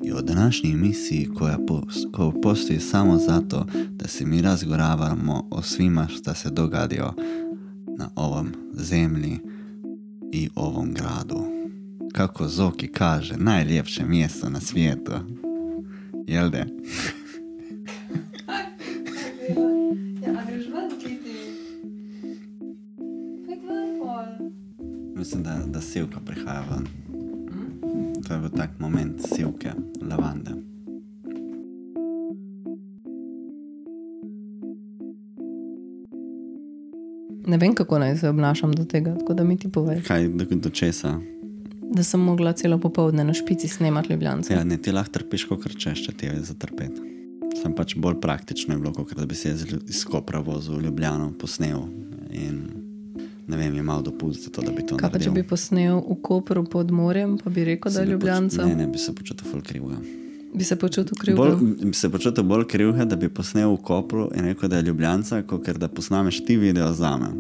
I u današnjoj emisiji koja postoji samo zato da se mi razgovaramo o svima što se dogadio na ovom zemlji i ovom gradu. Kako Zoki kaže, najljepše mjesto na svijetu. Jel de? Mislim da sivka prihaja ven. To je bil tak moment sivke, lavande. Ne vem, kako naj se obnašam do tega, tako da mi ti povej. Kaj, do česa? Da sem mogla celo popoldne na špici snemati Ljubljance. Ja, ne, ti lahko trpiš, kakor češ, če ti je zatrpeti. Sem pač bolj praktično je bilo, kakor da bi se iz Kopra vozil v Ljubljano, posnel in ne vem, je malo dopust za to, da bi to naredil. Kaj pa, če bi posnel v Kopru pod morjem, pa bi rekel, da je Ljubljanca? Ne, bi se počutil ful krivga. Bi se počutil krivga? Bi se počutil bolj krivga, da bi posnel v Kopru in rekel, da je Ljubljanca, kakor da posnameš ti video zame.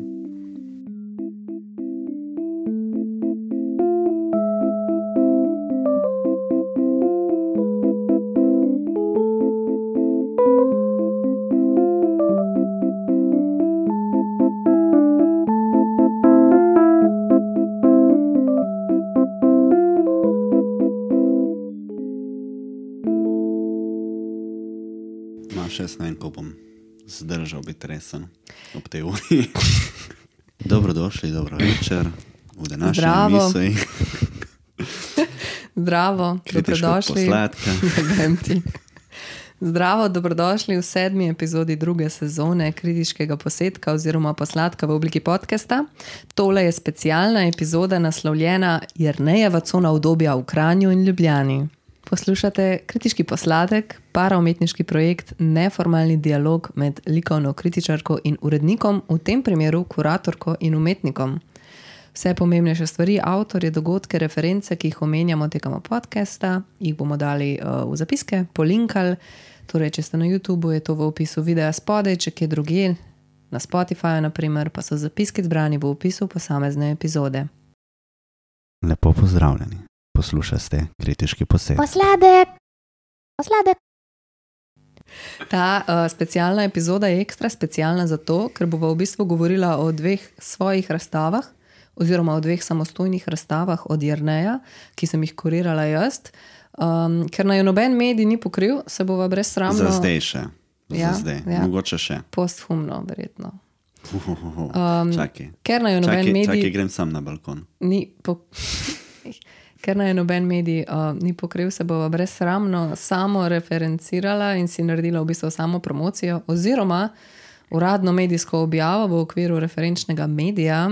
Jaz ne vem, ko bom zdržal biti resen ob tej uri. Dobrodošli, dobro večer v današnji emisiji. Zdravo, dobrodošli. Zdravo, dobrodošli v 7. epizodi 2. sezone kritiškega posedka oziroma posladka v obliki podcasta. Tole je specialna epizoda naslovljena Jernejeva cona udobja v Kranju in Ljubljani. Poslušate kritiški posladek, paraumetniški projekt, neformalni dialog med likovno kritičarko in urednikom, v tem primeru kuratorko in umetnikom. Vse pomembnejše stvari, avtorje, dogodke, reference, ki jih omenjamo tekom podcasta, jih bomo dali v zapiske, polinkali. Torej, če ste na YouTubeu, je to v opisu videa spodaj, če kje drugje, na Spotify, naprimer, pa so zapiski zbrani v opisu posamezne epizode. Lepo pozdravljeni. Poslušate kritiški posed. Posladek. Ta specialna epizoda je ekstra specialna zato, ker bova v bistvu govorila o 2 svojih razstavah oziroma o 2 samostojnih razstavah od Jerneja, ki sem jih kurirala jaz. Ker naj noben medij ni pokril, se bova brezsramno... Za zdaj še. Ja. Mogoče še. Posthumno, verjetno. Čakaj. Ker naj noben medij... Čakaj, grem sam na balkon. Ker naj noben medij ni pokril, se bova brezsramno samo referencirala in si naredila v bistvu samo promocijo oziroma uradno medijsko objavo v okviru referenčnega medija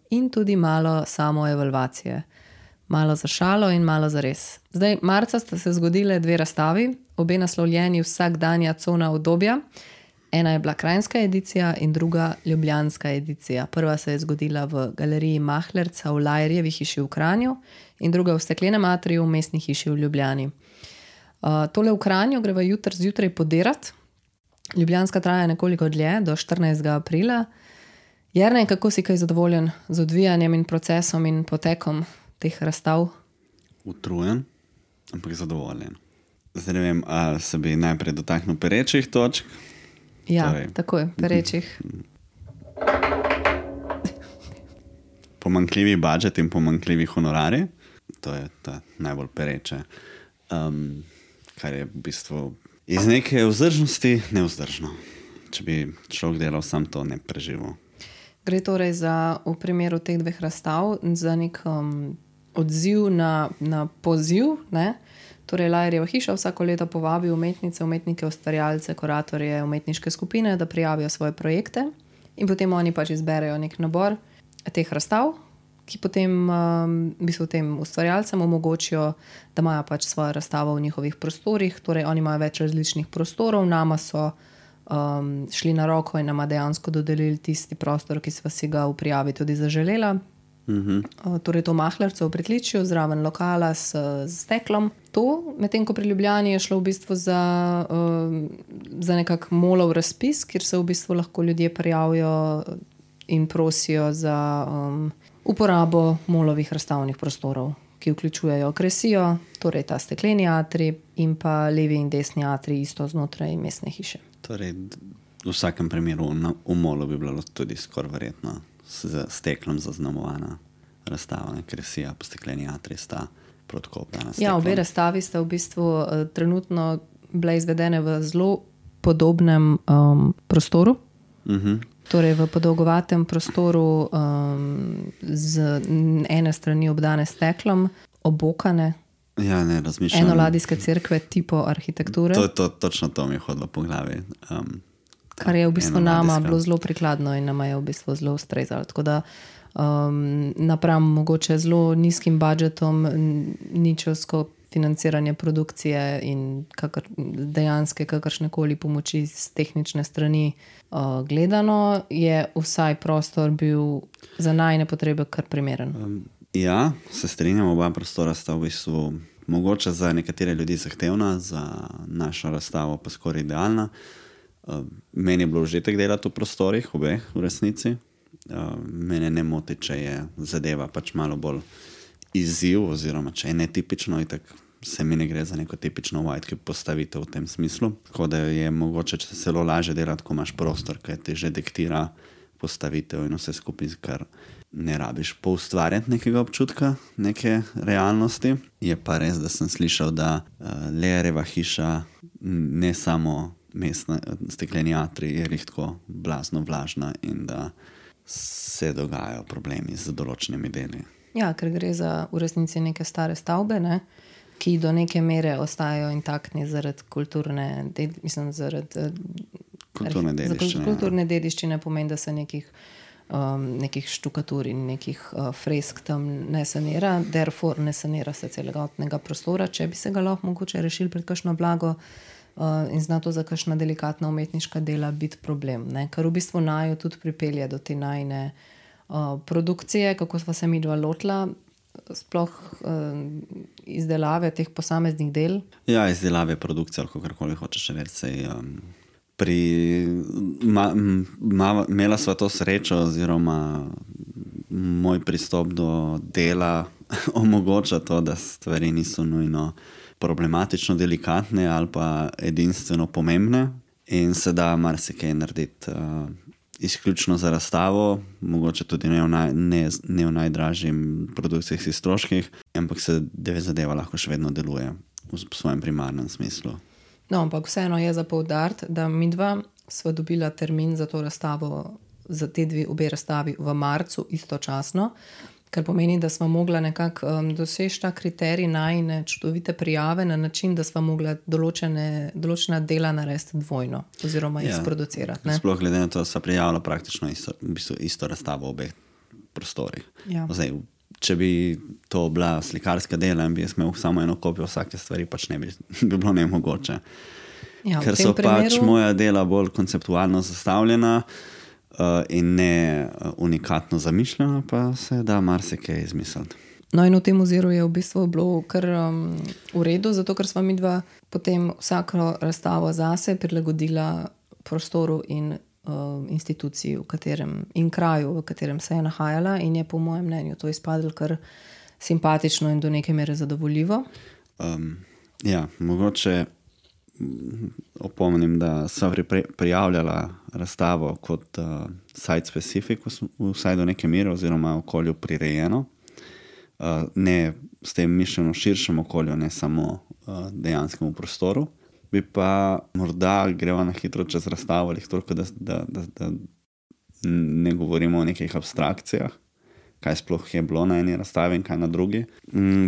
in tudi malo samo evalvacije. Malo za šalo in malo za res. Zdaj, marca sta se zgodile 2 razstavi, obe naslovljeni Vsakdanja cona udobja. Ena je bila kranjska edicija in druga ljubljanska edicija. Prva se je zgodila v galeriji Mahlerca v Lajrjevi hiši v Kranju in druga v Steklenem atriju v Mestni hiši v Ljubljani. Tole v Kranju greva jutri zjutraj podirati. Ljubljanska traja nekoliko dlje, do 14. aprila. Jernej, kako si kaj zadovoljen z odvijanjem in procesom in potekom teh razstav? Utrujen, ampak zadovoljen. Zdaj ne vem, a se bi najprej dotaknil perečih točk? Ja, takoj, perečih. Pomanjkljivi budžet in pomanjkljivi honorari. To je ta najbolj pereče. Kar je v bistvu iz neke vzdržnosti nevzdržno. Če bi človek delal sam, to ne preživel. Gre torej za, v primeru teh 2 razstav, za nek odziv na poziv, ne? Torej, Lajrjeva hiša vsako leto povabi umetnice, umetnike, ustvarjalce, kuratorje, umetniške skupine, da prijavijo svoje projekte in potem oni pač izberejo nek nabor teh razstav, ki potem tem ustvarjalcem omogočijo, da imajo pač svojo razstavo v njihovih prostorih. Torej, oni imajo več različnih prostorov, nama so šli na roko in nama dejansko dodelili tisti prostor, ki sva si ga v prijavi tudi zaželela. Torej to Mahlerco v pritličju, zraven lokala s steklom. To, medtem ko pri Ljubljani je šlo v bistvu za nekak molov razpis, kjer se v bistvu lahko ljudje prijavijo in prosijo za uporabo molovih razstavnih prostorov, ki vključujejo kresijo, torej ta stekleni atrij in pa levi in desni atrij isto znotraj mestne hiše. Torej, v vsakem primeru v molu bi bilo tudi skoraj verjetno z steklom zaznamovana razstava, kresija pa stekleni atrij sta podkopana. Ja, obe razstavi sta v bistvu trenutno bile izvedene v zelo podobnem prostoru. Torej v podolgovatem prostoru z ene strani obdane steklom, obokane. Ja, ne razmišljam. Enoladijske cerkve tipo arhitekture. Točno to mi je hodilo po glavi. Kar je v bistvu nama bilo zelo prikladno in nama je v bistvu zelo ustrezalo. Tako da napram mogoče zelo nizkim budžetom, ničovsko financiranje produkcije in dejanske kakršnekoli pomoči z tehnične strani gledano, je vsaj prostor bil za najne potrebe kar primeren. Ja, se strinjam, oba prostora sta v bistvu mogoče za nekatere ljudi zahtevna, za našo razstavo pa skoraj idealna. Meni je bilo užitek delati v prostorih, obeh v resnici. Mene ne moti, če je zadeva pač malo bolj izziv, oziroma če je netipično, in tako se mi ne gre za neko tipično white postavitev v tem smislu. Tako da je mogoče celo lažje delati, ko imaš prostor, ki ti že diktira postavitev in vse skupaj, kar ne rabiš poustvarjati nekega občutka, neke realnosti. Je pa res, da sem slišal, da Learjeva hiša ne samo mestna stekleni atrij je tako blazno vlažna in da se dogajajo problemi z določenimi deli. Ja, ker gre za v resnici neke stare stavbe, ne, ki do neke mere ostajajo intaktni zaradi kulturne dediščine. Kulturne dediščine pomeni, da se nekih štukatur in nekih fresk tam ne sanira, therefore ne sanira se celotnega prostora, če bi se ga lahko mogoče rešili pred kakšno blago in zna to za kakšna delikatna umetniška dela biti problem, ne? Kar v bistvu naju tudi pripelje do te najne produkcije, kako sva se midva lotila, sploh izdelave teh posameznih del. Ja, izdelave produkcije, ali kakorkoli hočeš reči. Imela sva to srečo, oziroma moj pristop do dela omogoča to, da stvari niso nujno problematično delikatne ali pa edinstveno pomembne in se da marsikaj narediti izključno za razstavo, mogoče tudi ne v najdražjim produkcijskih stroških, ampak se zadeva lahko še vedno deluje v svojem primarnem smislu. No, ampak vseeno je za poudariti, da midva sva dobila termin za to razstavo, za te obe razstavi v marcu istočasno, kar pomeni, da sva mogla nekako doseči ta kriterij najine čudovite prijave na način, da sva mogla določena dela narediti dvojno oziroma izproducirati. Ne? Sploh glede na to, da sva prijavila praktično isto razstavo v obeh prostorih. Ja. Zdaj, če bi to bila slikarska dela in bi jaz imel samo eno kopijo vsake stvari, pač ne bi bilo nemogoče. Ja, ker so pač moja dela bolj konceptualno zastavljena in ne unikatno zamišljena, pa se da marsikaj izmisliti. No, in v tem oziru je v bistvu bilo kar v redu, zato ker sva midva potem vsako razstavo zase prilagodila prostoru in instituciji in kraju, v katerem se je nahajala, in je po mojem mnenju to izpadlo kar simpatično in do neke mere zadovoljivo. Ja, mogoče opomnim, da sva prijavljala razstavo kot site specific, vsaj do neke mere, oziroma okolju prirejeno. Ne s tem mišljeno širšem okolju, ne samo dejanskemu prostoru. Bi pa morda greva na hitro čez razstavo, ali toliko, da ne govorimo o nekih abstrakcijah, kaj sploh je bilo na eni razstavi in kaj na drugi.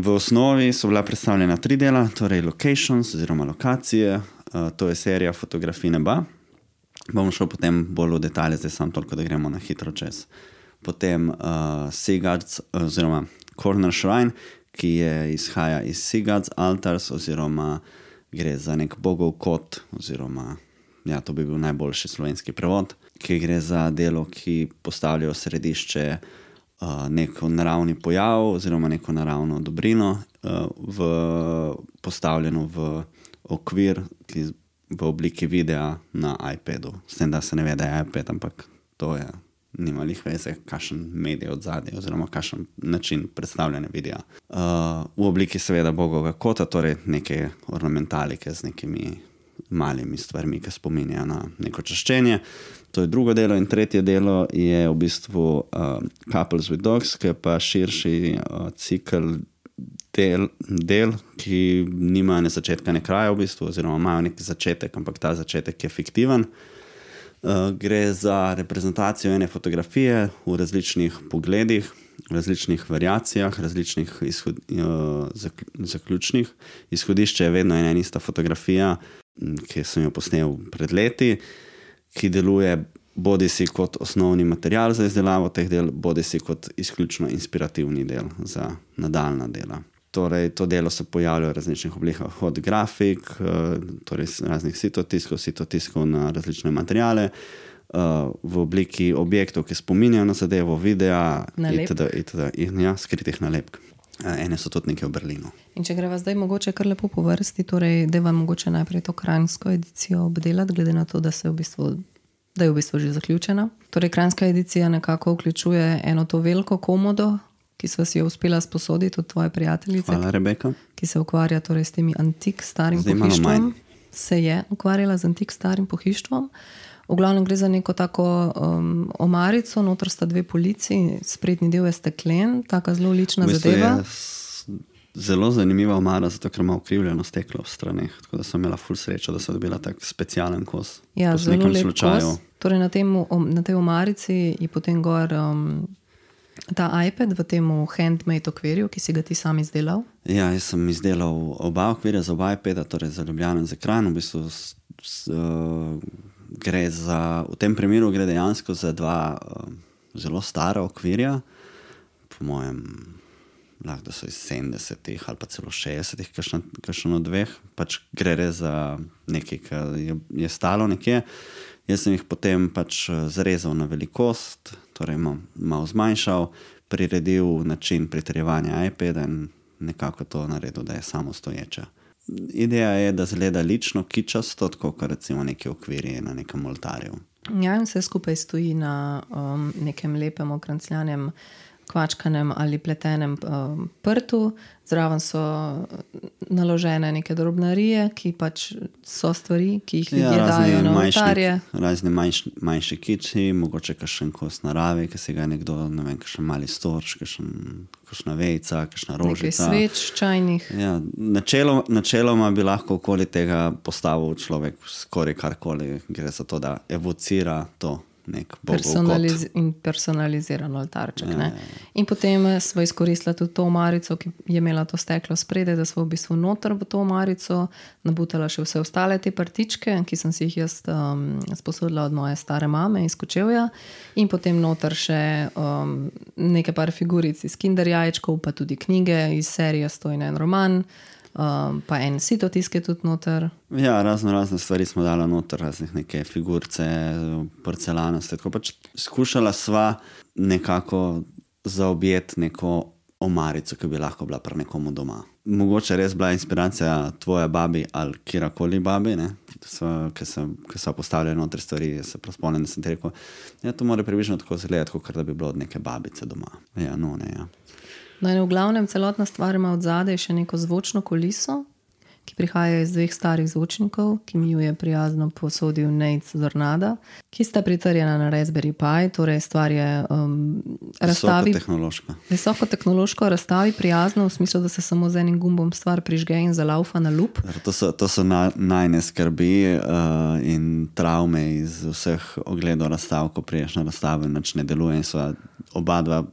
V osnovi so bila predstavljena 3 dela, torej locations oziroma lokacije, to je serija fotografij neba. Bom šel potem bolj v detalje, zdaj samo toliko, da gremo na hitro čez. Potem Sigurd's oziroma Corner Shrine, ki izhaja iz Sigurd's Altars, oziroma gre za nek bogov kot, oziroma ja, to bi bil najboljši slovenski prevod, ki gre za delo, ki postavljajo središče neko naravni pojav oziroma neko naravno dobrino postavljeno v okvir, ki v obliki videa na iPadu. S tem, da se ne ve, da je iPad, ampak to je nima lih veze, kakšen medij od zadnje oziroma kakšen način predstavljanja videa. V obliki seveda bogovega kota, torej neke ornamentalike z nekimi malimi stvarmi, ki spominjajo na neko čaščenje. To je drugo delo in tretje delo je v bistvu Couples with Dogs, ki je pa širši cikl del, ki nima ne začetka, ne kraja v bistvu, oziroma imajo neki začetek, ampak ta začetek je fiktiven. Gre za reprezentacijo ene fotografije v različnih pogledih, v različnih variacijah, različnih zaključnih. Izhodišče je vedno ena in ista fotografija, ki sem jo posnel pred leti, ki deluje bodisi kot osnovni material za izdelavo teh del, bodisi kot izključno inspirativni del za nadaljna dela. Torej, to delo se pojavlja v različnih oblikah, od grafik, torej raznih sitotiskov na različne materiale, v obliki objektov, ki spominjajo na zadevo, videa, itd. Ja, skritih nalepk. Ene so tudi nekaj v Berlinu. In če greva zdaj mogoče kar lepo po vrsti, torej deva mogoče najprej to kranjsko edicijo obdelati, glede na to, da je v bistvu že zaključena. Torej, kranjska edicija nekako vključuje eno to veliko komodo, ki sva si jo uspela sposoditi od tvoje prijateljice. Hvala, Rebeka. Ki se ukvarja torej s temi antik starim pohištvom. Se je ukvarjala z antik starim pohištvom. V glavnem gre za neko tako omarico, noter sta dve polici, sprednji del je steklen, taka zelo lična zadeva. Zelo zanimiva omara, zato ker ima ukrivljeno steklo v straneh, tako da sem imela ful srečo, da sem dobila tak specialen kos. Ja, zelo lep kos. Torej na tej omarici je potem gor ta iPad v temu handmade okvirju, ki si ga ti sam izdelal. Ja, jaz sem izdelal oba okvirja za oba iPada, torej za Ljubljano in za Kranj. V bistvu v tem primeru gre dejansko za dva zelo stara okvirja, po mojem lahko da so iz 70-ih ali pa celo 60-ih, kakšen od dveh, pač gre res za nekaj, kar je stalo nekje. Jaz sem jih potem pač zarezal na velikost, torej malo zmanjšal, priredil način pritrjevanja iPada in nekako to naredil, da je samostoječe. Ideja je, da zgleda lično, kičasto, tako kot recimo neki okvirji na nekem oltarju. Ja, in vse skupaj stoji na nekem lepem okrancljanem kvačkanem ali pletenem prtu. Zraven so naložene neke drobnarije, ki pač so stvari, ki jih ljudje dajo na oltarje. Razni manjši kiči, mogoče kakšen kos narave, ki se ga nekdo, ne vem, kakšen mali storč, kakšna vejca, kakšna rožica. Nekaj sveč, čajnih. Ja, načeloma bi lahko okoli tega postavil človek skoraj karkoli. Gre za to, da evocira to. In personaliziran oltarček. Ja. In potem smo izkoristili tudi to omarico, ki je imela to steklo spredaj, da smo v bistvu noter v to omarico nabutala še vse ostale te partičke, ki sem si jih jaz sposodila od moje stare mame iz Kočevja, in potem noter še nekaj par figuric iz Kinder jajčkov, pa tudi knjige iz serije Stojna en roman, pa en sitotisk je tudi noter. Ja, razne stvari smo dala noter, raznih neke figurce, porcelanaste, tako pač skušala sva nekako zaobjeti neko omarico, ki bi lahko bila pri nekomu doma. Mogoče res bila inspiracija tvoje babi ali kjerkoli babi, ne? Ki so postavljali noter stvari, se prav spomnim, da sem ti rekel, ja, to mora približno tako izgledati, kot da bi bilo od neke babice doma. Ja, no, ne, ja. No, in v glavnem celotna stvar ima od zadaj še neko zvočno kuliso, ki prihaja iz dveh starih zvočnikov, ki mi ju je prijazno posodil Nejc Zornada, ki sta pritrjena na Raspberry Pi, torej stvar je visokotehnološko razstavi prijazno, v smislu, da se samo z enim gumbom stvar prižge in zalaufa na lup. To so najne skrbi in travme iz vseh ogledov razstav, ko priješ na razstavo in nič ne deluje, in sva oba dva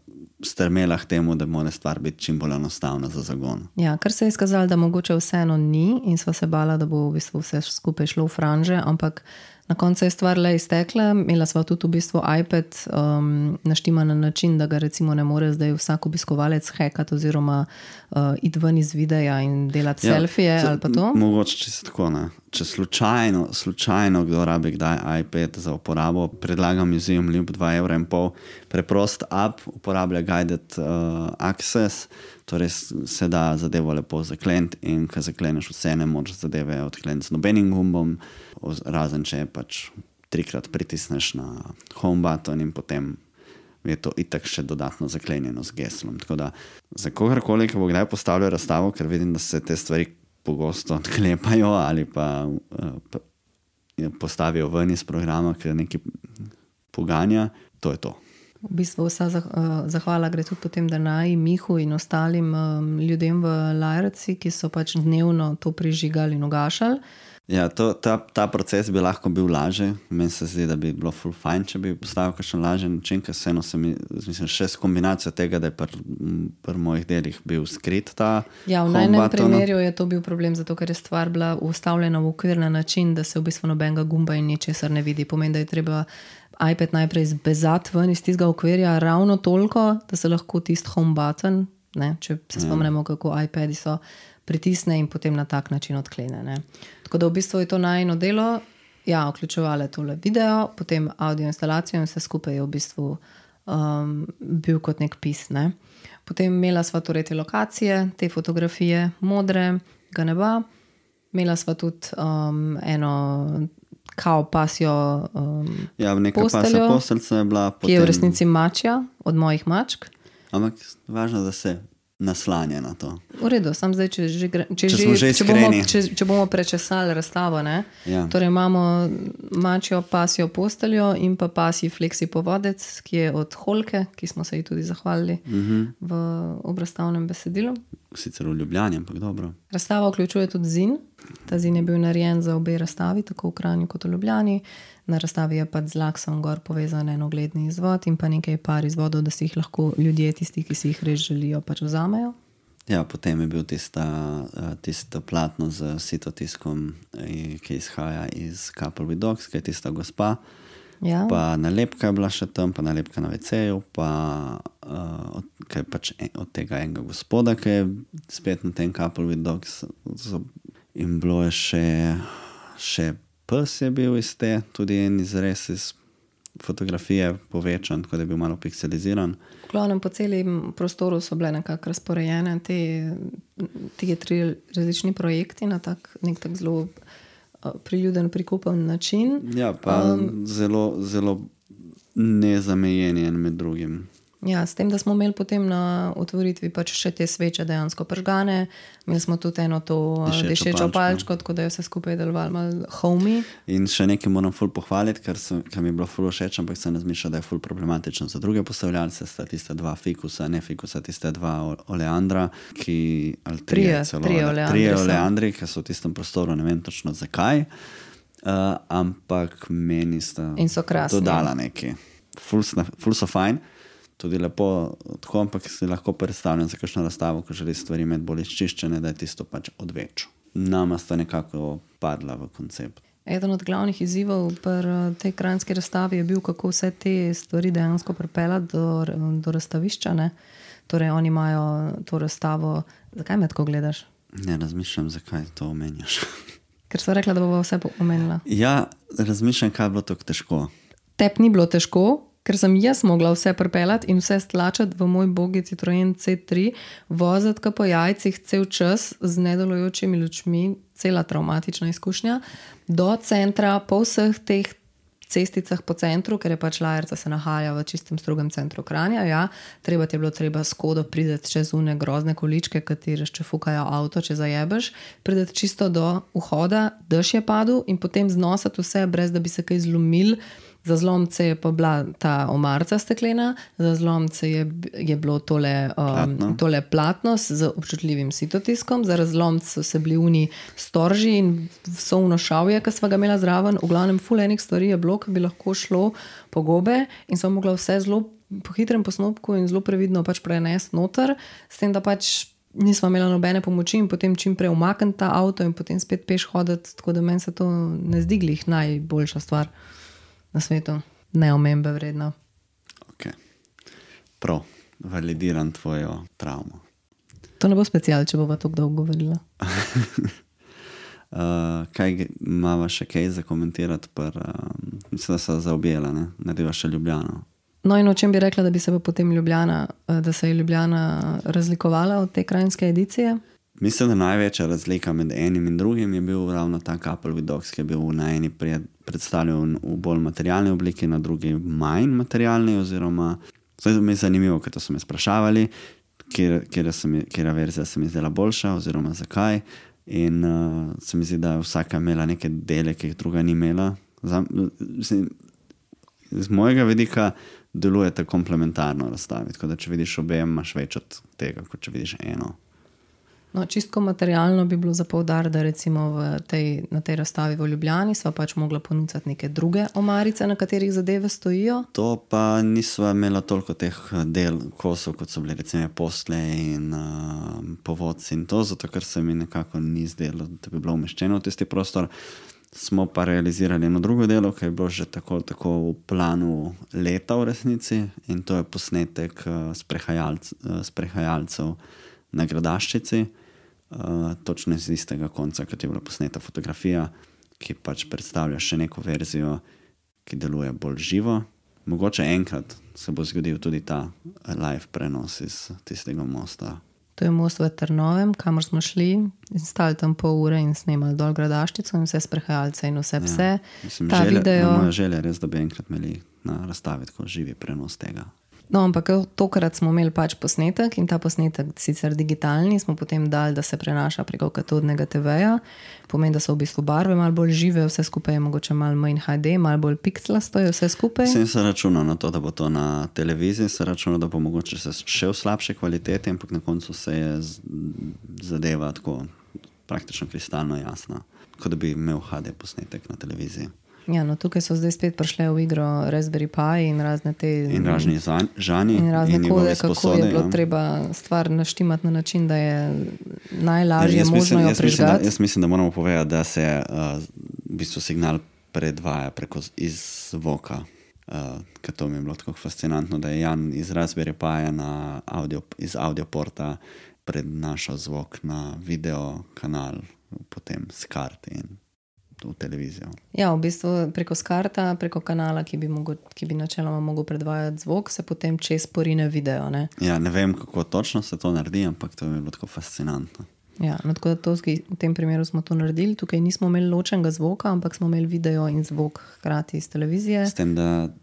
strmela k temu, da mora stvar biti čim bolj enostavna za zagon. Ja, kar se je izkazalo, da mogoče vseeno ni, in sva se bala, da bo v bistvu vse skupaj šlo v franže, ampak na koncu je stvar le iztekla. Imela sva tudi v bistvu iPad naštiman na način, da ga recimo ne more zdaj vsak obiskovalec hackati oziroma iti ven iz videa in delati selfije ali pa to. Mogoče čisto tako, ne. Če slučajno kdo rabi kdaj iPad za uporabo, predlagam Museum Lib 2,5 €, preprost app, uporablja guided access, torej se da zadevo lepo zakleniti, in ko zakleneš vse, ne moreš zadeve odkleniti z nobenim gumbom, razen če pač 3-krat pritisneš na home button in potem je to itak še dodatno zaklenjeno z geslom. Tako da za kogarkoli, ki bo kdaj postavljal razstavo, ker vidim, da se te stvari pogosto odklepajo ali pa postavijo ven iz programa, ker nekaj poganja, to je to. V bistvu vsa zahvala gre tudi potem Danaji, Mihu in ostalim ljudem v Lajrci, ki so pač dnevno to prižigali in ugašali. Ja, ta proces bi lahko bil lažje. Meni se zdi, da bi bilo ful fajn, če bi postavil kakšen lažji način, ker vseeno se mi, mislim, še s kombinacijo tega, da je pri mojih delih bil skrit ta Ja, v najnem primeru je to bil problem, zato ker je stvar bila ustavljena v okvir na način, da se v bistvu nobenega gumba in ničesar ne vidi. Pomeni, da je treba iPad najprej zbezati ven iz tistega okvirja ravno toliko, da se lahko tisti home button, ne, če se spomnimo, kako iPadi so, pritisne in potem na tak način odklene. Ne. Tako da v bistvu je to najino delo, ja, vključevale tole video, potem audio instalacijo in vse skupaj je v bistvu bil kot nek pis. Ne. Potem imela sva torej te lokacije, te fotografije modrega neba, imela sva tudi eno kao pasjo neka pasja posteljca je bila potem, ki je v resnici mačja od mojih mačk. Ampak važno, da se naslanja na to. V redu, sam zdaj, če bomo prečesali razstavo, ne? Ja. Torej imamo mačjo pasjo posteljo in pa pasji fleksi povodec, ki je od Holke, ki smo se ji tudi zahvalili v obrazstavnem besedilu. Sicer v Ljubljani, ampak dobro. Razstava vključuje tudi zin. Ta zin je bil narejen za obe razstavi, tako v Kranju kot v Ljubljani. Na razstavi je pač z Laksom gor povezan en ogledni izvod in pa nekaj par izvodov, da si jih lahko ljudje, tisti, ki si jih res želijo, pač vzamejo. Ja, potem je bil tisto platno z sitotiskom, ki izhaja iz Couple with Dogs, ki je tista gospa. Ja. Pa nalepka je bila še tam, pa nalepka na WC-ju, pa kaj pač od tega enega gospoda, ki je spet na tem Couple with Dogs. In bilo je še pes je bil iz te, tudi en izrez iz fotografije povečan, tako da je bil malo pikseliziran. V glavnem po celem prostoru so bile nekako razporejene te 3 različni projekti na nek tak zelo priljuden, prikupen način. Ja, pa zelo, zelo nezamejeni en med drugim. Ja, s tem, da smo imeli potem na otvoritvi pač še te sveče dejansko pržgane. Imeli smo tudi eno to dišečo palčko, tako da je vse skupaj delovalo malo homey. In še nekaj moram ful pohvaliti, kar mi je bilo ful všeč, ampak sem razmišljal, da je ful problematično za druge postavljalce, sta tiste 2 fikusa, ne fikusa, tiste 2 oleandra, ki trije oleandri, ki so v tistem prostoru, ne vem točno zakaj, ampak meni sta dodala nekaj. Ful so fajn. Tudi lepo tako, ampak si lahko predstavljam za kakšno razstavo, ko želi stvari imeti bolj izčiščene, da je tisto pač odveč. Nama sta nekako padla v koncept. Eden od glavnih izzivov pri tej kranjski razstavi je bil, kako vse te stvari dejansko pripeljati do razstavišča. Ne? Torej, oni imajo to razstavo. Zakaj me tako gledaš? Ne razmišljam, zakaj to omenjaš. Ker so rekla, da bova vse omenila. Ja, razmišljam, kaj je bilo tako težko. Tep ni bilo težko, ker sem jaz mogla vse pripeljati in vse stlačati v moj bogi Citroen C3, voziti po jajcih cel čas z nedelujočimi lučmi, cela travmatična izkušnja, do centra, po vseh teh cesticah po centru, ker je pač Lajrca se nahaja v čistem strugem centru Kranja, ja, treba s Škodo prideti čez une grozne količke, kateri še fukajo avto, če zajebeš, prideti čisto do vhoda, dež je padel in potem znosati vse, brez da bi se kaj zlomil. Za zlomce je pa bila ta omarca steklena, za zlomce je bilo tole platno z občutljivim sitotiskom, za razlomce so se bili uni storži in vso uno šavje, ki sva ga imela zraven. V glavnem ful enih stvari je bilo, ki bi lahko šlo po gobe in sem mogla vse zelo po hitrem postopku in zelo previdno pač prenesti noter, s tem, da pač nisva imela nobene pomoči in potem čim prej umakniti ta avto in potem spet peš hoditi, tako da meni se to ne zdi glih najboljša stvar na svetu. Neomembe vredno. Ok. Prav. Validiram tvojo travmo. To ne bo special, če bova tako dolgo govorila. Kaj imava še kaj za komentirati? Mislim, da se zaobjela, ne? Narediva še Ljubljano. No in o čem bi rekla, da bi se potem da se je Ljubljana razlikovala od te krajinske edicije? Mislim, da največja razlika med enim in drugim je bil ravno ta Couple with Dogs, ki je bil na eni predstavljen v bolj materialni obliki, na drugi manj materialni, oziroma Zdaj mi je zanimivo, ker to so me sprašavali, kjera verzija se mi zdela boljša oziroma zakaj. In se mi zdi, da je vsaka imela neke dele, ki jih druga ni imela. Z mojega vidika delujete komplementarno razstavi, tako da če vidiš obe, imaš več od tega, kot če vidiš eno. No, čistko materialno bi bilo za poudariti, da recimo na tej razstavi v Ljubljani sva pač mogla ponuditi neke druge omarice, na katerih zadeve stojijo. To pa nisva imela toliko teh del kosov, kot so bili recimo postle in povodci in to, zato ker se mi nekako ni zdelo, da bi bilo umeščeno v tisti prostor. Smo pa realizirali eno drugo delo, ki je bilo že tako v planu leta v resnici, in to je posnetek sprehajalcev na Gradaščici, točno iz istega konca, kot je bila posneta fotografija, ki pač predstavlja še neko verzijo, ki deluje bolj živo. Mogoče enkrat se bo zgodil tudi ta live prenos iz tistega mosta. To je most v Trnovem, kamor smo šli in stali tam pol ure in snemali dol Gradaščico in vse sprehajalce in vse pse. Mislim, moja želja je res, da bi enkrat imeli na razstavi tako živi prenos tega. No, ampak tokrat smo imeli pač posnetek in ta posnetek sicer digitalni, smo potem dali, da se prenaša preko katodnega TV-ja. Pomeni, da so v bistvu barve malo bolj žive, vse skupaj je mogoče malo manj HD, malo bolj pikslasto je vse skupaj. Sem se računal na to, da bo to na televiziji, se računal, da bo mogoče še v slabše kvalitete, ampak na koncu se je zadeva tako praktično kristalno jasna, kot da bi imel HD posnetek na televiziji. Ja, no tukaj so zdaj spet prišle v igro Raspberry Pi in razne te... In razni žani. In razne kode, kako je bilo treba stvar naštimati na način, da je najlažje možno jo prižgati. Jaz mislim, da moramo povedati, da se v bistvu signal predvaja preko iz zvoka. Ker to mi je bilo tako fascinantno, da je Jan iz Raspberry Pi iz audioporta prednašal zvok na video kanal, potem s karti in v televizijo. Ja, v bistvu preko skarta, preko kanala, ki bi načeloma mogel predvajati zvok, se potem čez porine video, ne? Ja, ne vem, kako točno se to naredi, ampak to je bilo tako fascinantno. Ja, no tako da v tem primeru smo to naredili. Tukaj nismo imeli ločenega zvoka, ampak smo imeli video in zvok hkrati iz televizije. S tem, da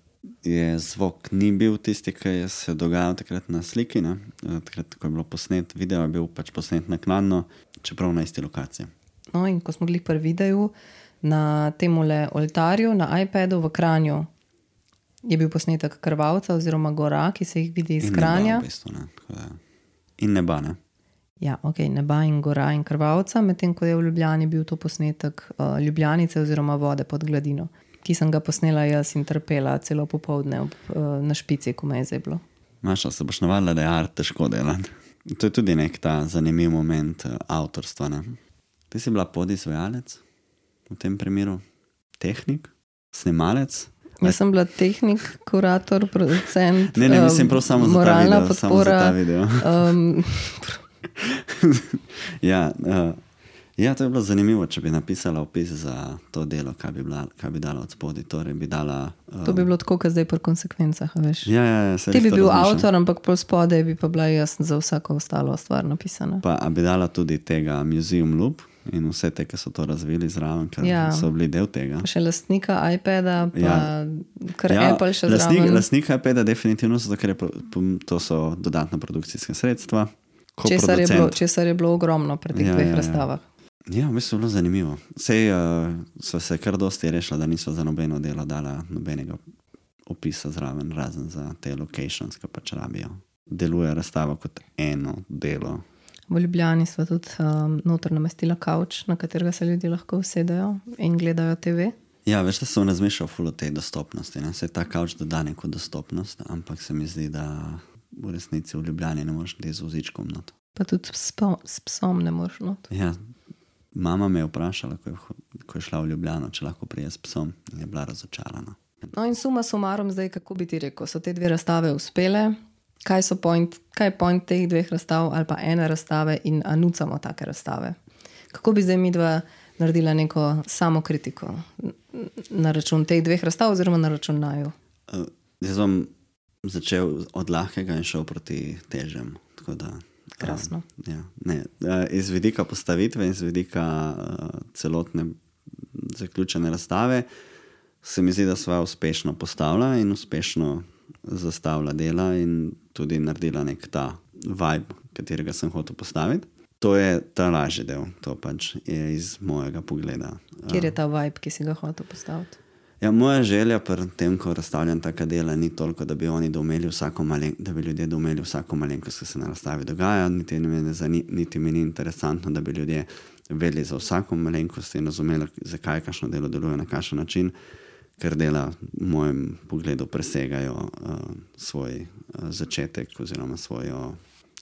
je zvok ni bil tisti, ki je se dogajal takrat na sliki, ne? Takrat, ko je bilo posnet, video je bil pač posnet naknadno, čeprav na isti lokaciji. No, in ko smo bili pri videu, na temule oltarju, na iPadu v Kranju je bil posnetek Krvavca oziroma gora, ki se jih vidi iz Kranja. In neba v bistvu, ne. In neba, ne. Ja, ok, neba in gora in Krvavca, medtem ko je v Ljubljani bil to posnetek Ljubljanice oziroma vode pod gladino, ki sem ga posnela jaz in trpela celo popoldne na špici, ko me je zeblo. Maša, se boš navadila, da je art težko delati. To je tudi nek ta zanimiv moment avtorstva, ne. Ti si bila podizvajalec? V tem primeru tehnik, snemalec. Jaz sem bila tehnik, kurator, producent, ne, mislim prav samo moralna za ta video. Ja, to je bilo zanimivo, če bi napisala opis za to delo, kaj bi dala od spodaj. Torej bi dala... To bi bilo tako, kot zdaj pri konsekvencah, veš. Ja, ti bi bil avtor, ampak pol spodaj bi pa bila jaz za vsako ostalo stvar napisana. Pa bi dala tudi tega Museum Loop in vse te, ki so to razvili zraven, ker so bili del tega. Še lastnika iPada, pa kar Apple še zraven. Lastnika iPada definitivno, zato ker to so dodatna produkcijska sredstva. Česar je bilo ogromno pri teh dveh razstavah. Ja, v bistvu je bilo zanimivo. Sej so se kar dosti rešila, da niso za nobeno delo dala nobenega opisa zraven, razen za te locations, ki pač rabijo. Deluje razstava kot eno delo. V Ljubljani sva tudi noter namestila kavč, na katerega se ljudje lahko usedejo in gledajo TV. Ja, veš, da sem razmišljal ful o tej dostopnosti. Se ta kavč doda neko dostopnost, ampak se mi zdi, da v resnici v Ljubljani ne moreš biti z vozičkom not. Pa tudi s psom ne moreš not. Ja, mama me je vprašala, ko je šla v Ljubljano, če lahko prije s psom, in je bila razočarana. No in suma sumarum zdaj, kako bi ti rekel, so te dve razstave uspele? Kaj je point teh dveh razstav ali pa ene razstave in nucamo take razstave? Kako bi zdaj midva naredila neko samokritiko na račun teh dveh razstav oziroma na račun naju? Jaz bom začel od lahkega in šel proti težjem. Krasno. Iz vidika postavitve in iz vidika celotne zaključene razstave se mi zdi, da sva uspešno postavila in uspešno zastavila dela in tudi naredila nek ta vibe, katerega sem hotel postaviti. To je ta lažji del, to pač je iz mojega pogleda. Kjer je ta vibe, ki si ga hotel postaviti? Ja, moja želja pri tem, ko razstavljam taka dela, ni toliko, da bi oni da bi ljudje doumeli vsako malenkost, ki se na razstavi dogaja, niti mi ni interesantno, da bi ljudje vedeli za vsako malenkost in razumeli, zakaj kakšno delo deluje na kakšen način, ker dela v mojem pogledu presegajo svoj začetek oziroma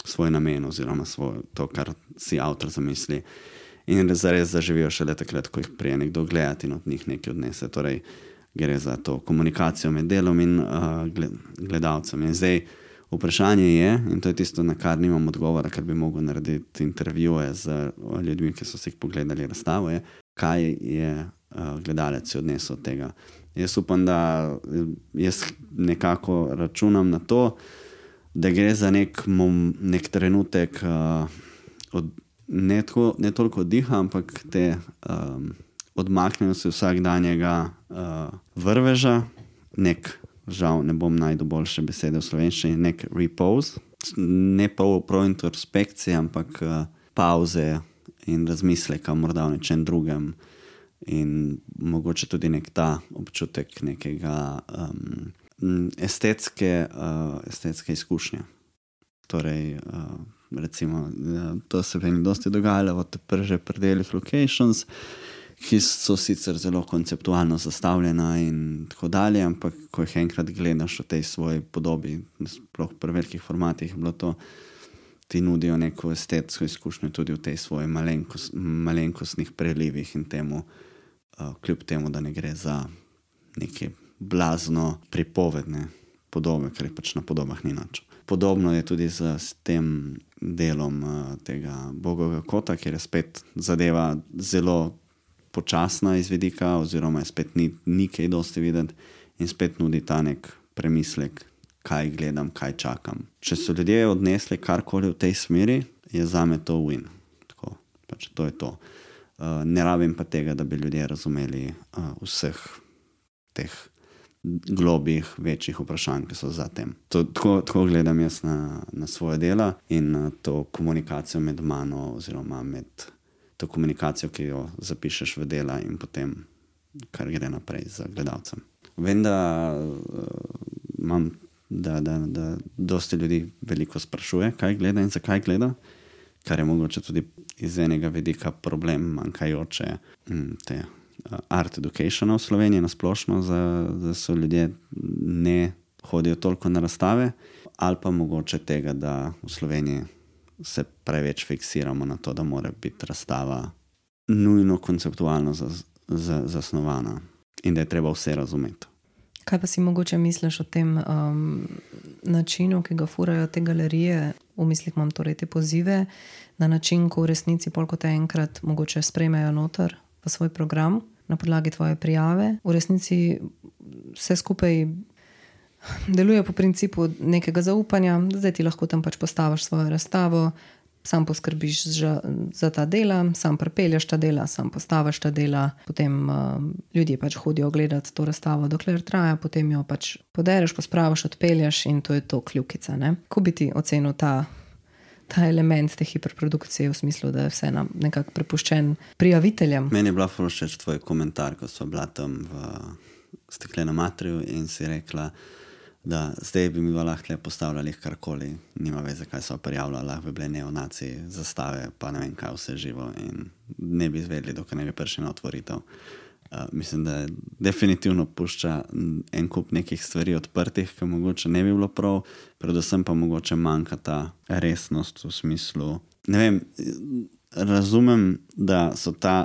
svoj namen oziroma to, kar si avtor zamisli. In zares zaživijo šele takrat, ko jih prije nekdo gledati in od njih nekaj odnese. Torej, gre za to komunikacijo med delom in gledalcem. In zdaj vprašanje je, in to je tisto, na kar nimam odgovora, ker bi mogel narediti intervjuje z ljudmi, ki so si jih pogledali razstavo, je, kaj je gledalec odnesel od tega. Jaz upam, da jaz nekako računam na to, da gre za nek trenutek ne toliko diha, ampak te odmaknjenosti vsakdanjega vrveža, žal ne bom našel boljše besede v slovenščini, nek repose, ne prav introspekcije, ampak pauze in razmisleka morda o nečem drugem in mogoče tudi nek ta občutek nekega estetske izkušnje. Torej, recimo, to se meni dosti dogajalo v že predelih locations, ki so sicer zelo konceptualno zastavljena in tako dalje, ampak ko jih enkrat gledaš v tej svoji podobi, sploh pri velikih formatih, bilo to, ti nudijo neko estetsko izkušnjo tudi v tej svoji malenkostnih prelivih in temu, kljub temu, da ne gre za neke blazno pripovedne podobe, ker pač na podobah ni nič. Podobno je tudi s tem delom tega Bogovega kota, kjer je spet zadeva zelo počasna iz vidika, oziroma je spet ni kaj dosti videti in spet nudi ta nek premislek, kaj gledam, kaj čakam. Če so ljudje odnesli karkoli v tej smeri, je zame to win. Tako, pač to je to. Ne rabim pa tega, da bi ljudje razumeli vseh teh globih, večjih vprašanj, ki so za tem. Tako gledam jaz na svoje dela in na to komunikacijo med mano oziroma med to komunikacijo, ki jo zapišeš v dela in potem, kar gre naprej za gledalcem. Vem, da dosti ljudi veliko sprašuje, kaj gleda in zakaj gleda, kar je mogoče tudi iz enega vidika problem manjkajoče te art educationa v Sloveniji nasplošno, da so ljudje ne hodijo toliko na razstave, ali pa mogoče tega, da v Sloveniji se preveč fiksiramo na to, da mora biti razstava nujno konceptualno zasnovana in da je treba vse razumeti. Kaj pa si mogoče misliš o tem načinu, ki ga furajo te galerije, v mislih imam torej te pozive, na način, ko v resnici pol kot enkrat mogoče sprejmejo noter v svoj program na podlagi tvoje prijave. V resnici vse skupaj deluje po principu nekega zaupanja, zdaj ti lahko tam pač postaviš svojo razstavo, sam poskrbiš za ta dela, sam pripelješ ta dela, sam postaviš ta dela, potem ljudje pač hodijo gledati to razstavo, dokler traja, potem jo pač podereš, pospraviš, odpelješ in to je to kljukica. Kako bi ti ocenil ta element te hiperprodukcije v smislu, da je vse nekako prepuščen prijaviteljem? Meni je bila všeč tvoj komentar, ko sva bila tam v Steklenem atriju in si rekla, da zdaj bi mi lahko postavljali karkoli, nima veze, kaj so prijavljali, lahko bi bile neonaci, zastave, pa ne vem kaj vse živo in ne bi izvedli, dokaj ne bi prišli na otvoritev. Mislim, da definitivno pušča en kup nekih stvari odprtih, ki mogoče ne bi bilo prav, predvsem pa mogoče manjka ta resnost v smislu, ne vem, razumem, da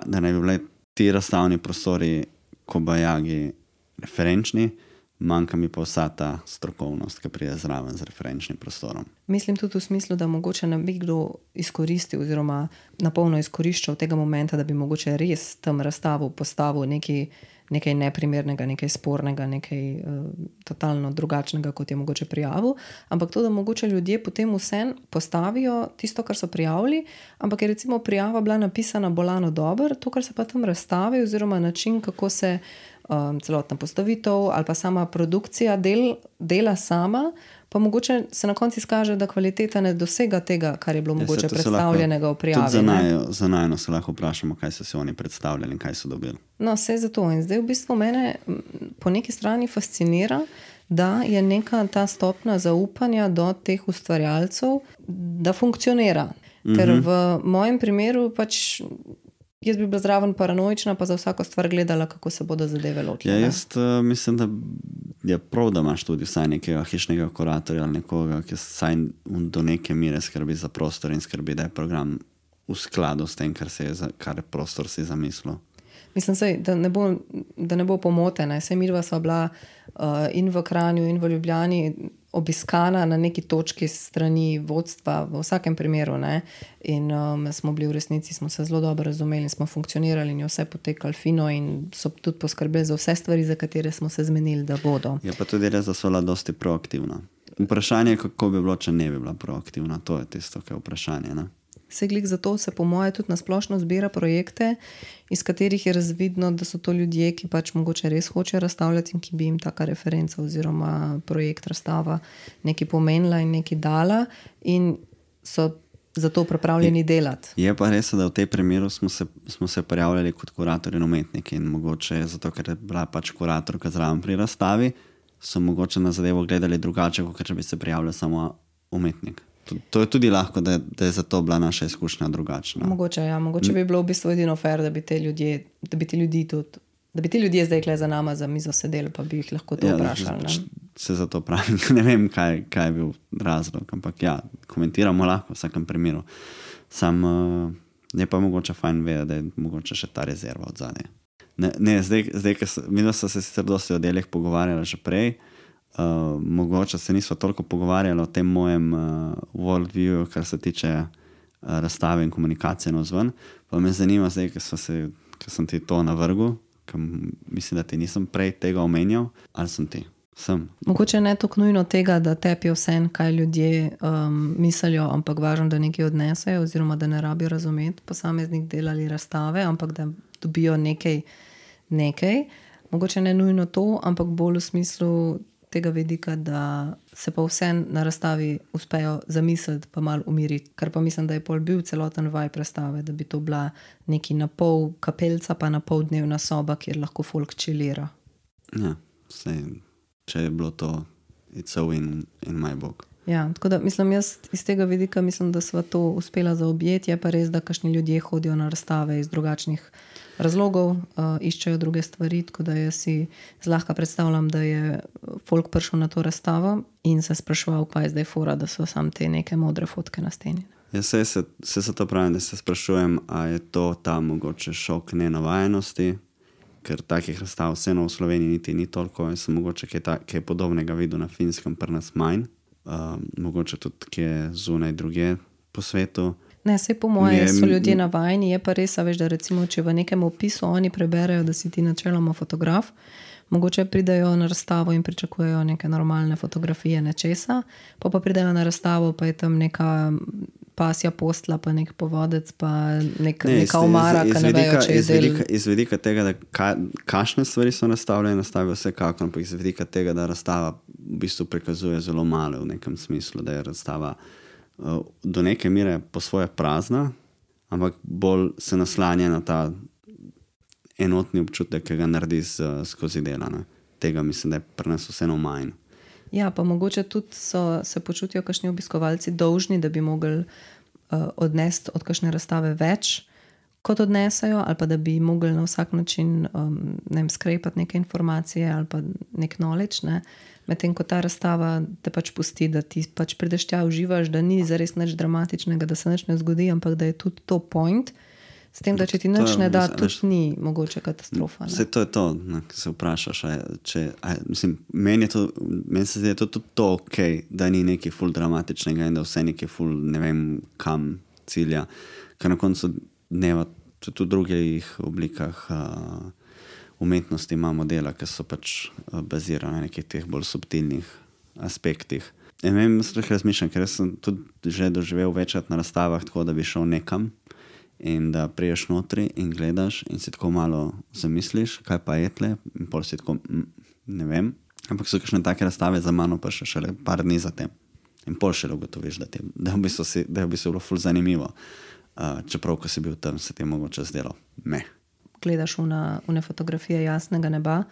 ne bi bile ti razstavni prostori kobajagi referenčni, manjka mi pa vsa ta strokovnost, ki pride zraven z referenčnim prostorom. Mislim tudi v smislu, da mogoče ne bi kdo izkoristil oziroma napolno izkoriščal tega momenta, da bi mogoče res tam razstavo postavil nekaj neprimernega, nekaj spornega, nekaj totalno drugačnega, kot je mogoče prijavil, ampak to, da mogoče ljudje potem vsem postavijo tisto, kar so prijavili, ampak je recimo prijava bila napisana bolano dobro, to, kar se pa tam razstavi oziroma način, kako se celotna postavitev ali pa sama produkcija dela sama, pa mogoče se na koncu izkaže, da kvaliteta ne dosega tega, kar je bilo mogoče predstavljenega v prijavi. Tudi za najno se lahko vprašamo, kaj so si oni predstavljali in kaj so dobili. No, vse zato. In zdaj v bistvu mene po neki strani fascinira, da je neka ta stopna zaupanja do teh ustvarjalcev, da funkcionira. Ker v mojem primeru pač jaz bi bila zraven paranoična, pa za vsako stvar gledala, kako se bodo zadeve lotile. Ja, jaz mislim, da je prav, da imaš tudi vsaj nekega hišnega kuratorja ali nekoga, ki vsaj do neke mere skrbi za prostor in skrbi, da je program v skladu s tem, kar prostor si zamislil. Mislim, da ne bo pomotena. Saj midva sva bila in v Kranju in v Ljubljani obiskana na neki točki strani vodstva v vsakem primeru. Ne? In smo bili v resnici, smo se zelo dobro razumeli in smo funkcionirali in je vse potekalo fino in so tudi poskrbeli za vse stvari, za katere smo se zmenili, da bodo. Je pa tudi res, da so bila dosti proaktivna. Vprašanje je, kako bi bilo, če ne bi bila proaktivna. To je tisto, kaj je vprašanje, ne? Seglik zato se po moje tudi nasplošno zbira projekte, iz katerih je razvidno, da so to ljudje, ki pač mogoče res hočejo razstavljati in ki bi jim taka referenca oziroma projekt razstava nekaj pomenila in nekaj dala in so zato pripravljeni delati. Je pa res, da v tej primeru smo se prijavljali kot kurator in umetniki in mogoče zato, ker je bila pač kuratorka zraven pri razstavi, so mogoče na zadevo gledali drugače, kot če bi se prijavljal samo umetnik. To je tudi lahko, da je zato bila naša izkušnja drugačna. Mogoče bi bilo v bistvu edino fair, da bi ti ljudje zdaj kle za nama za mizo sedeli, pa bi jih lahko to vprašali. Se zato pravim, ne vem, kaj je bil razlog, ampak ja, komentiramo lahko v vsakem primeru. Sam je pa mogoče fajn vedeti, da je mogoče še ta rezerva od zadnje. Zdaj, mi smo se sicer dosti o delih pogovarjali že prej, mogoče se nismo toliko pogovarjali o tem mojem worldview, kar se tiče razstave in komunikacije navzven, pa me zanima zdaj, ker sem ti to navrgel, ker mislim, da ti nisem prej tega omenjal, ali sem ti? Sem. Mogoče ne toliko nujno tega, da tepijo vse, kaj ljudje mislijo, ampak važno, da nekaj odnesejo oziroma da ne rabijo razumeti posameznih del ali razstave, ampak da dobijo nekaj. Mogoče ne nujno to, ampak bolj v smislu tega vidika, da se pa vse na razstavi uspejo zamisliti pa malo umiriti, kar pa mislim, da je pol bil celoten vibe razstave, da bi to bila neki na pol kapelca pa na pol dnevna soba, kjer lahko folk chillira. Ja, če je bilo to it's a win in my book. Ja, tako da mislim, jaz iz tega vidika mislim, da sva to uspela zaobjeti, je pa res, da kakšni ljudje hodijo na razstave iz drugačnih razlogov, iščejo druge stvari, tako da jaz si zlahka predstavljam, da je folk prišel na to razstavo in se spraševal, pa je zdaj fora, da so samo te neke modre fotke na steni. Ja, se to pravim, da se sprašujem, a je to ta mogoče šok nenavajenosti, ker takih razstav vseeno v Sloveniji niti ni toliko, jaz sem mogoče kaj podobnega videl na Finskem, pri nas manj, mogoče tudi kje zunaj druge po svetu. Ne, saj po moje so ljudje navajeni, je pa res, veš, da recimo, če v nekem opisu oni preberejo, da si ti načeloma fotograf, mogoče pridejo na razstavo in pričakujejo neke normalne fotografije nečesa, pa pridejo na razstavo, pa je tam neka pasja postla, pa nek povodec, pa neka omara, ki ne vejo, če je del. Iz vidika tega, da kakšne stvari so nastavljene, nastavijo vsekako, ampak iz vidika tega, da razstava v bistvu prikazuje zelo malo v nekem smislu, da je razstava do neke mere po svoje prazna, ampak bolj se naslanja na ta enotni občutek, ki ga naredi skozi dela. Ne. Tega mislim, da je pri nas vseeno manj. Ja, pa mogoče tudi se počutijo kakšni obiskovalci dolžni, da bi mogli odnesti od kakšne razstave več, kot odnesajo, ali pa da bi mogli na vsak način skrepati neke informacije ali pa nek knowledge, ne. Medtem ko ta razstava te pač pusti, da ti pač prideš tja, uživaš, da ni zares nič dramatičnega, da se nič ne zgodi, ampak da je tudi to point, s tem, da če ti nič ne da, tudi ni mogoče katastrofa. Vse to je to, ki se vprašaš. Meni se zdi, da je tudi to ok, da ni nekaj ful dramatičnega in da vse nekaj ful ne vem kam cilja, ker na koncu dneva tudi v drugih oblikah umetnosti imamo dela, ki so pač bazirane na nekih teh bolj subtilnih aspektih. Ne vem, razmišljam, ker sem tudi že doživel večkrat na razstavah tako, da bi šel nekam in da priješ notri in gledaš in si tako malo zamisliš, kaj pa je tle, in pol si tako, ne vem, ampak so kakšne take razstave za mano pa še šele par dni zatem. In pol šele ugotoviš, da je v bistvu bilo ful zanimivo. Čeprav, ko si bil tam, se ti je mogoče zdelo, Gledaš une fotografije jasnega neba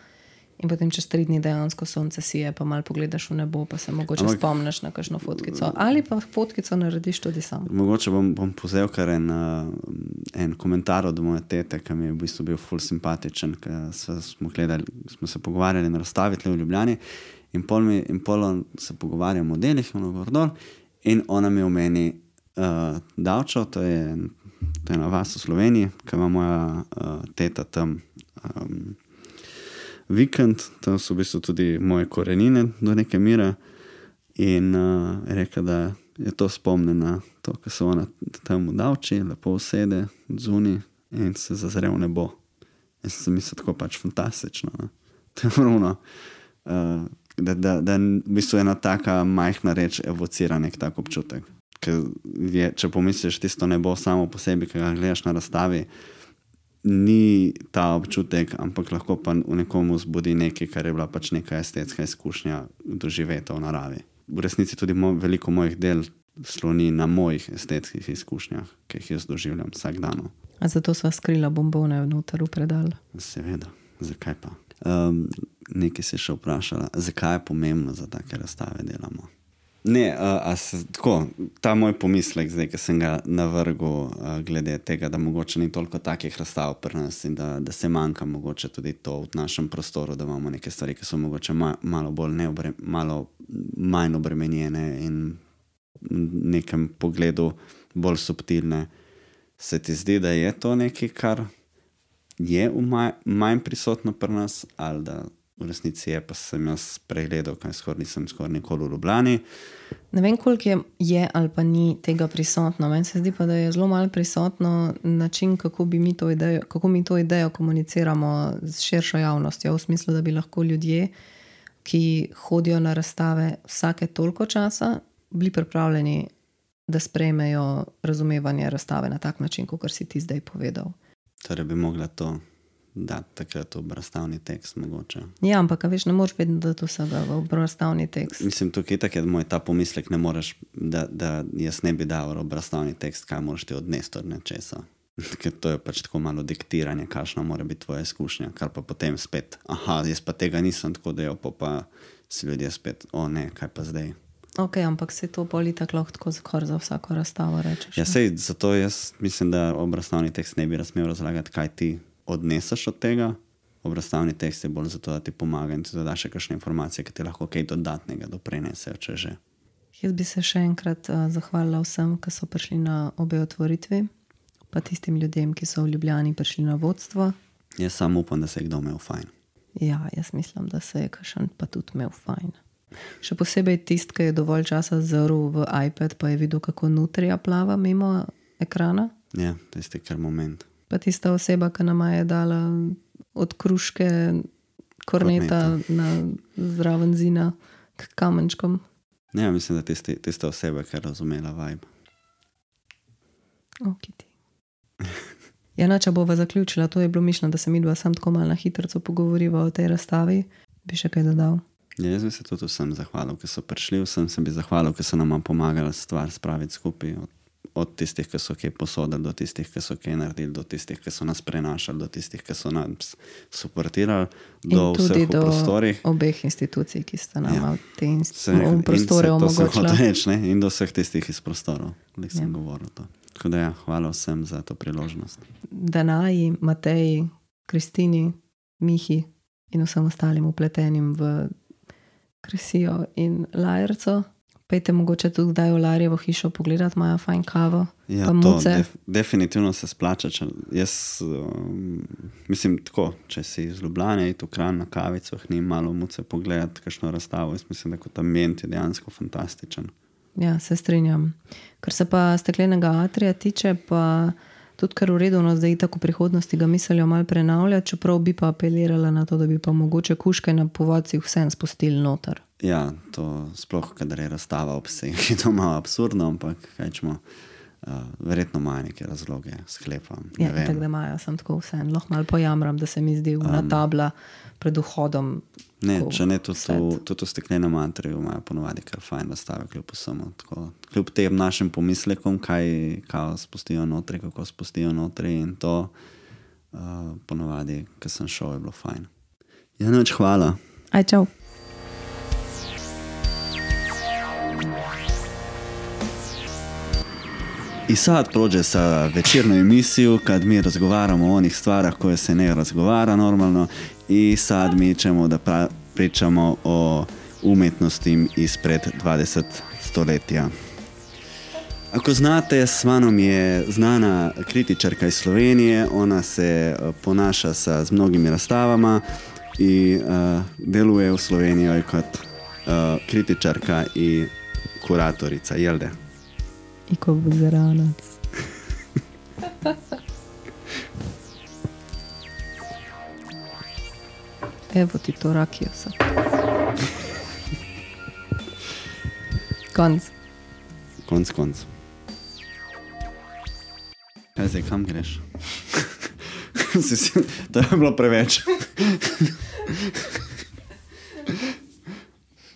in potem čez 3 dni dejansko sonce sije, pa malo pogledaš v nebo, pa se mogoče spomniš na kakšno fotkico. Ali pa fotkico narediš tudi sam. Mogoče bom pozel kar en komentar od moje tete, ki mi je v bistvu bil ful simpatičen, ker smo se pogovarjali na razstavi tle v Ljubljani in pol se pogovarjamo o delih, in ona mi omeni Davčo, to je ena vas v Sloveniji, ki ima moja teta tam vikend, tam so v bistvu tudi moje korenine do neke mere in reka, da je to spomne na to, ko se ona tam v Davči lepo usede zunaj in se zazre v nebo. In sem mislil tako pač fantastično. Ne? To je ravno, da v bistvu ena taka majhna reč evocira nek tak občutek. Če pomisliš tisto nebo samo po sebi, ki ga gledaš na razstavi, ni ta občutek, ampak lahko pa v nekomu zbudi nekaj, kar je bila pač neka estetska izkušnja doživeta v naravi. V resnici tudi veliko mojih del sloni na mojih estetskih izkušnjah, ki jih jaz doživljam vsak dan. A zato sva skrila bombone vnoter v predal? Seveda, zakaj pa? Nekaj si še vprašala, zakaj je pomembno za take razstave delamo? Ne, tako, ta moj pomislek zdaj, ki sem ga navrgel glede tega, da mogoče ni toliko takih razstav pri nas in da se manjka mogoče tudi to v našem prostoru, da imamo neke stvari, ki so mogoče malo manj obremenjene in v nekem pogledu bolj subtilne. Se ti zdi, da je to nekaj, kar je manj prisotno pri nas, ali da v resnici je, pa sem jaz pregledal, kaj nisem skoraj nikoli v Ljubljani. Ne vem, koliko je ali pa ni tega prisotno. Meni se zdi pa, da je zelo malo prisotno način, kako mi to idejo komuniciramo z širšo javnostjo, v smislu, da bi lahko ljudje, ki hodijo na razstave vsake toliko časa, bili pripravljeni, da sprejmejo razumevanje razstave na tak način, kot si ti zdaj povedal. Torej bi mogla to dati takrat v razstavni tekst mogoče. Ja, ampak veš, ne moreš vedno dati vsega v razstavni tekst. Mislim, tukaj tako je moj ta pomislek, ne moreš, da jaz ne bi dal v razstavni tekst, kaj moraš ti odnesti od nečesa. Ker to je pač tako malo diktiranje, kakšna mora biti tvoja izkušnja, kar pa potem spet, jaz pa tega nisem tako delal, pa si ljudje spet, ne, kaj pa zdaj. Ok, ampak se to poli tako lahko skor za vsako razstavo rečeš. Ja, sej, zato jaz mislim, da obrazstavni tekst ne bi razmel razlagati, kaj ti odneseš od tega. Obrazstavni tekst je bolj zato, da ti pomaga in ti dodaš še kakšne informacije, ki ti lahko kaj dodatnega doprinesejo, če že. Jaz bi se še enkrat zahvalila vsem, ki so prišli na obe otvoritvi, pa tistim ljudem, ki so v Ljubljani prišli na vodstvo. Jaz samo upam, da se je kdo imel fajn. Ja, jaz mislim, da se je kakšen pa tudi imel fajn. Še posebej tist, ki je dovolj časa zrl v iPad, pa je videl, kako nutrija plava mimo ekrana. Ja, tisti kar moment. Pa tista oseba, ki nama je dala od kruške korneta na zraven zina k kamenčkom. Ja, mislim, da tista oseba, ki je razumela vibe. Okiti. Če bova zaključila, to je bilo mišljeno, da se midva sam tako malo na hitrco pogovoriva o tej razstavi. Bi še kaj dodal? Ja, jaz bi se tudi vsem zahvalil, ki so prišli, vsem se bi zahvalil, ki so nama pomagali stvar spraviti skupaj, od tistih, ki so kaj posodili, do tistih, ki so kaj naredili, do tistih, ki so nas prenašali, do tistih, ki so nas suportirali, do vseh v prostorih. In tudi do obeh institucij, ki sta nama v prostore omogočila. In do vseh tistih iz prostorov, ki sem govoril to. Tako da hvala vsem za to priložnost. Danaji, Mateji, Kristini, Mihi in vsem ostalim upletenim v Kresijo in Lajerco. Pejte mogoče tudi kdaj v Larjevo hišo pogledati, imajo fajn kavo, pa muce. Definitivno se splača. Jaz mislim tako, če si iz Ljubljane, iti v Kranj na kavicoh, ni malo muce pogledati kakšno razstavo. Jaz mislim, da kot ambient je dejansko fantastičen. Ja, se strinjam. Kar se pa steklenega atrija tiče, pa tudi kar uredno zdaj tako v prihodnosti ga mislijo malo prenavljati, čeprav bi pa apelirala na to, da bi pa mogoče kuške na povodcih vsem spustili noter. Ja, to sploh, kadar je razstava obseg, je to malo absurdno, ampak kaj čemo, Verjetno imajo neke razloge, sklepam. Ja, tako da imajo, sem tako vse. Lahko malo pojamram, da se mi zdi na tabla pred vhodom. Ne, če ne, tudi v steklenem mantriju imajo ponovadi kar fajn nastave, kljub vsemu. Kljub tem našim pomislekom, kaj spustijo notri, kako spustijo notri in to ponovadi, ko sem šel, je bilo fajn. Ja, noč, hvala. Aj, čau. I sad prođe sa večernu emisiju kad mi razgovaramo o onih stvarah koje se ne razgovara normalno i sad mi ćemo da pričamo o umjetnosti ispred 20 stoletja. Ako znate, s Manom je znana kritičarka iz Slovenije, ona se ponaša sa mnogimi razstavama i deluje u Sloveniji kot kritičarka i kuratorica, jel da? I ko buzeranac. Evo ti to rakija sad. Konc. Konc. Kaj zdaj, kam greš? To je bilo preveč.